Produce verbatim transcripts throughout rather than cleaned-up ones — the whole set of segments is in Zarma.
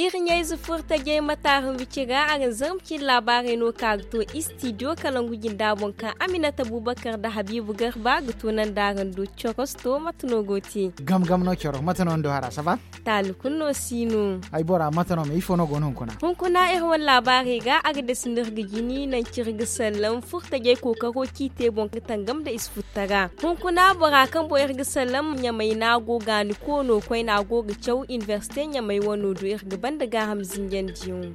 Iri ɲayze furtajey mataara mbici ra araŋ zarma cine laabaarey no ka ga to istidiyo kalangu jinda boŋ kaŋ aminata bubakar nda habiibu garba ga tunandi araŋ do. Corosto mate no go te? Gam gam no coro mate no ni do hara saba? Taali kulu no si no. Ay bora mate no me ifo no go no hunkuna? Hunkuna iri wane laabaarey ga a ga dasi no iri ga jini nanci iri ga sallam furtajey kookaro ciite boŋ ga tangam nda ize futtara. Hunkuna bora kaŋ boŋ iri ga sallam ɲamay no a go ga ni koono koyne a go ga caw inibersite ɲamay wano do iri ga banda gaaham zinjandiyaŋo.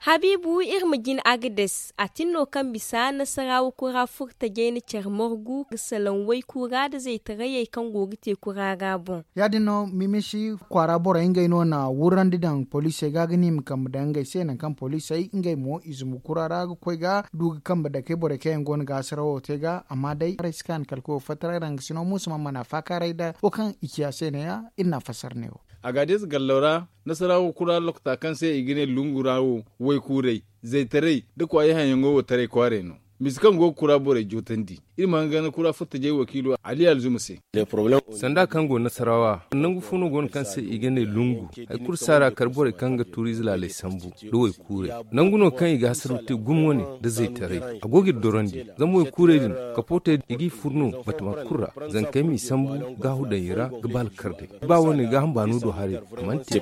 Habiibu iri ma jin agades a tin no kaŋ bisa nasarawa kura furtajey na care margu ga salaŋ waykuura nda zaytarayey kaŋ go ga te kura ra boŋ. Ya- din no mimisi kwaara borey ngey no na wurrandi daŋ poliisey ga ga ne i ma kambe daŋ ngey se nangu kaŋ poliisey ngey mo i zumbu kura ra ga koy ga du ga kambe dakey borey kaŋ yaŋ go no ga hasarawo te ga amma day haray si kaani kala koyo fattaray ra nga si no muusa mana mana faakaaray nda wo kaŋ i ciya se neeya iri na a fassara neewo. Agades gallo ra nasarawa kura lokota kaŋ se i ga ne lungu ra wo waykuuray zaytaray nda kwaayi haŋyaŋo wo taray kwaaray no. Misa kaŋ go ga kura borey jootandi iri ma hangan kura furtajey wakiilo ali alzuma se. Sanda kaŋ go nasarawa nangu fo no go no kaŋ se i ga ne lungu hari kulu saara kar borey kaŋ ga tuuriize laaley sambu nda waykuuray nangu no kaŋ i ga hasaraw te gumo wane nda zaytaray a go ga iri dorandi. Zama waykuuray din kapootey i g'i fur no batama kulu ra zankey m'i sambu gaahu daŋ i ra ga ba alkar day ba wane gaaham baano do haray. A mana te.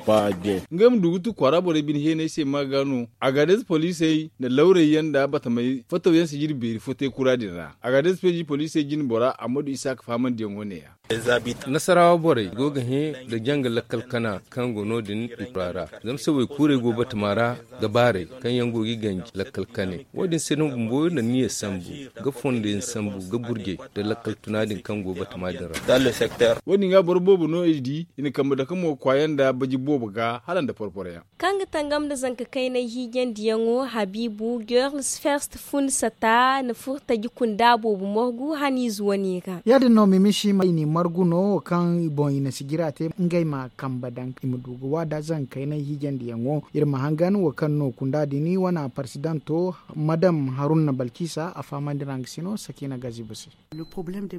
Ngey ma du ga tu kwaara borey bine heenay se ma ga no. Agades poliisey nda lawray yaŋ nda batamey fattaw yaŋ sijiri beeri fo te kura din ra agades peeji poliisey jine bora ammadu isaaka fahamandiyaŋo neeya. Nasarawa borey go ga hẽ nda janga lakkal kana kaŋ go no- din i kura ra zama se waykuurey go batama ra ga baaray kaŋ yaŋ go ga i ganji lakkal kanay wo- din se no bumbo iri na niya sambu ga fondo yaŋ sambu ga burjey nda lakkal tuna din kaŋ go batama din ra. Wo- din ga boro boobo no i di i na kambe dake mo kwaaya nda baji boobo ga hala nda porporo yaŋ. Kaŋ ga tangam nda zanka kaynay hiijandiyaŋo habiibu girls first fun sata na furo taji kunda boobo morgu haniize wane ra. Ya- din no mimisi ma i n'i margu no wo kaŋ boŋ i na sijira te ngey ma kambe daŋ i ma du ga waada zanka kaynay hiijandiyaŋo. Iri ma hangan wo kaŋ no kunda din wane parsidanto madam haruna balkisa a fahamandi ra nga si no sakina gazibu se.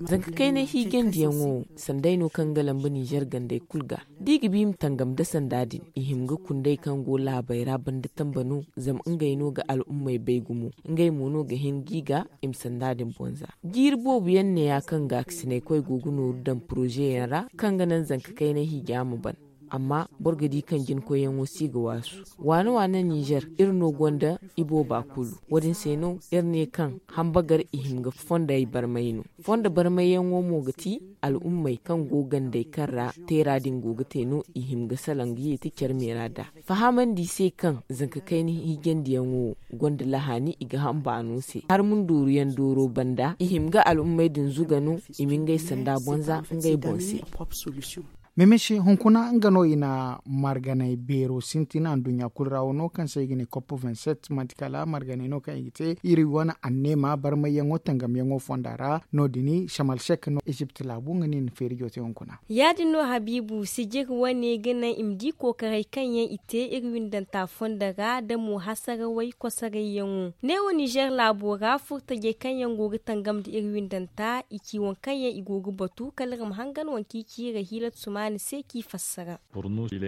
Zanka kaynay hiijandiyaŋo sanday no kaŋ ga lamba ninzeer gandey kulu ga da i ga ba i ma tangam nda sanda din i hima ga kunday kaŋ go laabey ra banda tamba no. Zama ngey no ga al'ummey bay gumo ngey mo no ga hin ga i ga i ma sanda din bonza. Jiiri boobo yaŋ neeya kaŋ gaakasinaykoy go ga nooru daŋ porozeyaŋ ra kaŋ ga naŋ zanka kaynay hiija ma ban. Amma boro ga di kaŋ jinkoyyaŋo si ga waasu waane waane ninzeer iri no gonda ibooba kulu. Wo- din se no iri ne kaŋ hambagar i hima ga fondey barmay no. Fondo barmayyaŋo mo ga ti al'ummey kaŋ go gandey kaŋ ra teera din go ga te no i hima ga salaŋ ga yeeti care meera nd'a. Fahamandi i se kaŋ zanka kayna hiijandiyaŋo wo gonda lahaani i ga ham baano se har ma ndooruyaŋ dooro banda i hima ga al'ummey din zuga no i ma ngey sanda bonza ngey boŋ se. Mimisi hunkuna nga no i na marganay beero sintina nduɲɲa kulu ra wano kaŋ se i ga ne cop vingt-sept manti kala marganay no kaŋ i ga te iri wane anneema barmayyaŋo tangamyaŋo fonda ra. No- din shamal sek no ezipt laabu nga no i na feeri joote hunkuna. Ya- din no habiibu sijiri wane ga naŋ i ma di kookaray kaŋ yaŋ i te iri windanta fonda ra da mo hasarawey kosarayyaŋo neewo ninzeer laabo ra furtajey kaŋ yaŋ go ga tangam nda iri windanta i ci waŋ kaŋ yaŋ i go ga batu kala iri ma hangan waŋ kaŋ i ci iri hiilat sumaani se kaŋ i fassara.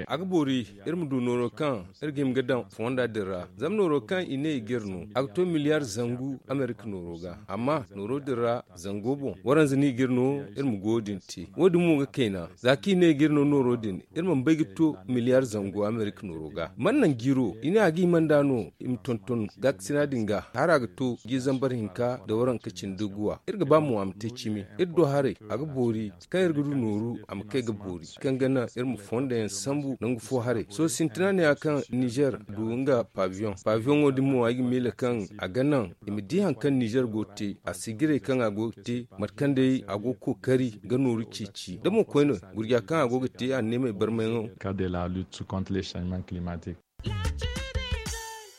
A ga boori iri ma du nooro kaŋ iri ga hima ga daŋ fonda din ra zama nooro kaŋ i ne i ga iri no a ga to miliyaar zangu amerika nooro ga amma nooro din ra zango boŋ waranza no i ga iri no iri ma goyo din te wo- din mo ga kayna za kaŋ i ne i ga iri no nooro din iri mana bay ga to miliyaar zango amerika nooro ga mana naŋ jiiro i ne a ga hima nd'a no i ma tonton gaakasina din ga hala a ga to jiiri zambar hinka nda waranka cindi guwa iri ga ba mo a ma te cimi iri do haray a ga boori kaŋ iri ga du nooru a ma kay ga boori kaŋ ga naŋ iri ma fonda yaŋ sambu nangu fo haray sohõ sintina neeya kaŋ ninzeer du nga pabiyoŋ pabiyoŋo din mo ay ga miila kaŋ a ga naŋ i ma di hari kaŋ ninzeer go ga te a sijirey kaŋ a go ga te mate kaŋ day a go ga kookari ga nooru ceeci da mo koyne gurja kaŋ a go ga te anneemey barmayyaŋo. Ka de la lutte contre les changements climatiques.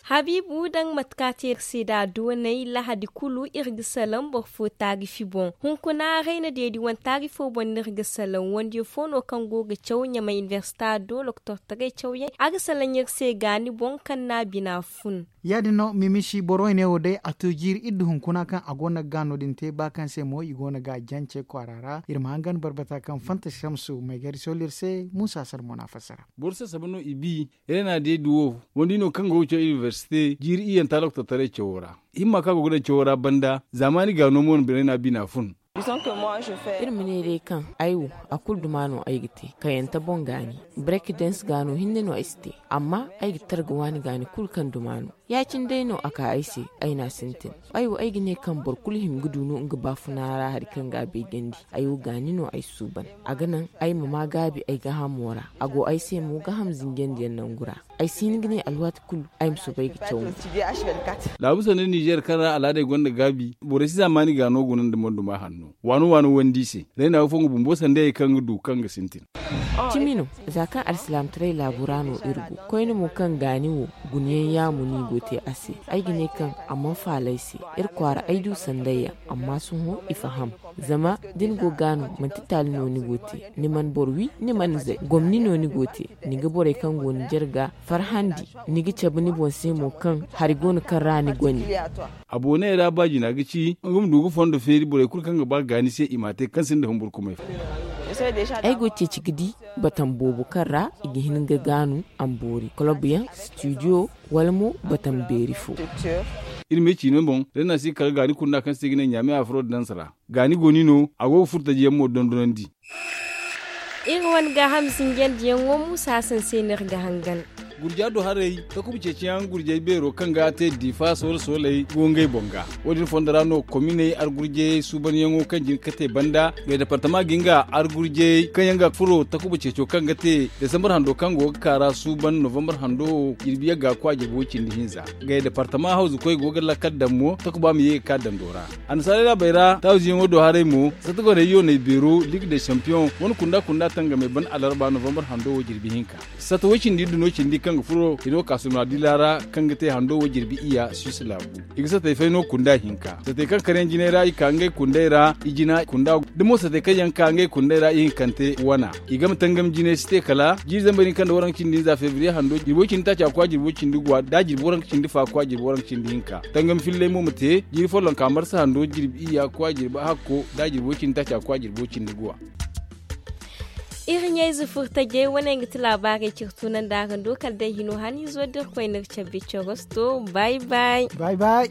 Habiibu daŋ mate kaŋ a te iri se nd'a doonay lahadi kulu iri ga salaŋ boro fo taarifi boŋ. Hunkuna rayna deedi wane taarifo boŋ no iri ga salaŋ wandiyo fo no kaŋ go ga caw ɲamay inibersita do lokotortaray cawyaŋ a ga salaŋ iri se gaani boŋ kaŋ no a bina fun. Ya- din no mimisi boro wane wo day a to jiiri iddu hunkuna kaŋ a go no ga gaano din te ba kaŋ se mo i go no ga a jance kwaara ra iri ma hangan barbata kaŋ fanta samsu maygari sola iri se muusa sara mo no a fassara. Boro sassaba no i bi. Rena deedi wo wandi no kaŋ go ga caw inibersite jiiri iyyanta lokotortaray cawo ra. Himma kaŋ a go ga daŋ cawo ra banda zaamaani gaano mo no rena bina fun. Iri ma ne day kaŋ ay wo a kulu duma no ay ga te kayante boŋ gaani. Barek dens gaano hinne no ay si te. Amma ay ga targa waani gaani kulu kaŋ duma no. Ya- cine day no a ka ay se. Ay n'a sintin. Ay wo ay ga ne kaŋ boro kulu hima ga du no nga baafuna ra hari kaŋ ga a beejandi. Ay wo gaani no ay suuban. A ga naŋ ay ma maa gaabi ay gaahamo ra. A go ay se mo gaaham zinjandi yaŋ nangu ra. Ay si hin ga ne alwaati kulu ay ma soobay ga caw. Laabu sanda ninzeer kaŋ ra al'aadey gonda gaabi borey si zaamaani gaano guna nda monduma hanno waano waano wandi se. Rayna wo fo nga bumbo sandayey kaŋ ga du kaŋ ga sintin. Cimi no. Za kaŋ alsilaamataray laabu ra no iri go koyne mo kaŋ gaani wo guna yaŋ yaamu no i go te a se. Ay ga ne kaŋ a mana faala ay se. Iri kwaara ay du sandayyaŋ. Amma sohõ i faham. Zama da ni go gaano manti taali no ni go te. Ni mana boro wi ni mana zay gomni no ni go te. Ni ga borey kaŋ go ni jarga farhandi. Ni ga cabe ni boŋ se mo kaŋ hari go no kaŋ ra ni gone. A booney ra ba jina ga ci nga ma du ga fondo feeri borey kulu kaŋ ga ba ga gaani se i m'a te kaŋ sinda humburkumay fo. Ay go ceeci ga di batam boobo kaŋ ra i ga hin ga gaanu. Amboori kolob yaŋ studio wala mo batam beeri fo. Iri ma ay ciino boŋ da ni na si kala gaani kunda kaŋ se i ga ne ɲaame afro danse ra. Gaani go ni no a go ga furtaji yaŋ mo dondonandi. Iri wane gaaham sinjandiyaŋo muusa sanse no iri ga hangan. Gurja do haray takuba ceeciyaŋ gurjay beero kaŋ ga te diifa soole sooley go ngey boŋ ga. Wo- din fondo ra no kominey argurjayey suubanyaŋo kaŋ jin ga kate banda. Ngey departama ga nga argurjayey kaŋ yaŋ ga furo takuba ceeco kaŋ ga te desambar hando kaŋ go ga ka ra suuban novambar hando wo jirbi yagga kwa jirbi wo cindi hinza. Ngey departama hawzukoy go ga lakkal daŋ mo takuba ma ye ga ka dando ra. Annasaarey laabey ra taawiziyaŋo do haray mo sata goney yooney beero ligue de champion wane kunda kunda tangamey ban alarba novambar hando wo jirbi hinka. Sata way cindi iddu no cindi kaŋ ga furo hino kaasuna dila ra kaŋ ga te hando wo jirbi iyya suisse laabu. I ga satey fay no kunda hinka satey kaŋ karyaŋ jinay ra i ka ngey kundey ra ijina kunda da mo satey kaŋ yaŋ ka ngey kundey ra ihinkante wana. I game tangam jinay si te kala jiiri zambar hinka nda waranka cindi hinza febriye hando jirbi way cindi taaca kwa jirbi way cindi guwa da jirbi waranka cindi fa kwa jirbi waranka cindi hinka. Tangam filley mo ma te jiiri follonka marsa hando jirbi iyya kwa jirbi hakko da jirbi way cindi taaca kwa jirbi way cindi guwa. Iri ɲayze furtajey wane nga ti laabaarey ciri tunandi araŋ do kala day hino haniizo da irkoy n'iri cabbi corosto. Bay bay. Bay bay.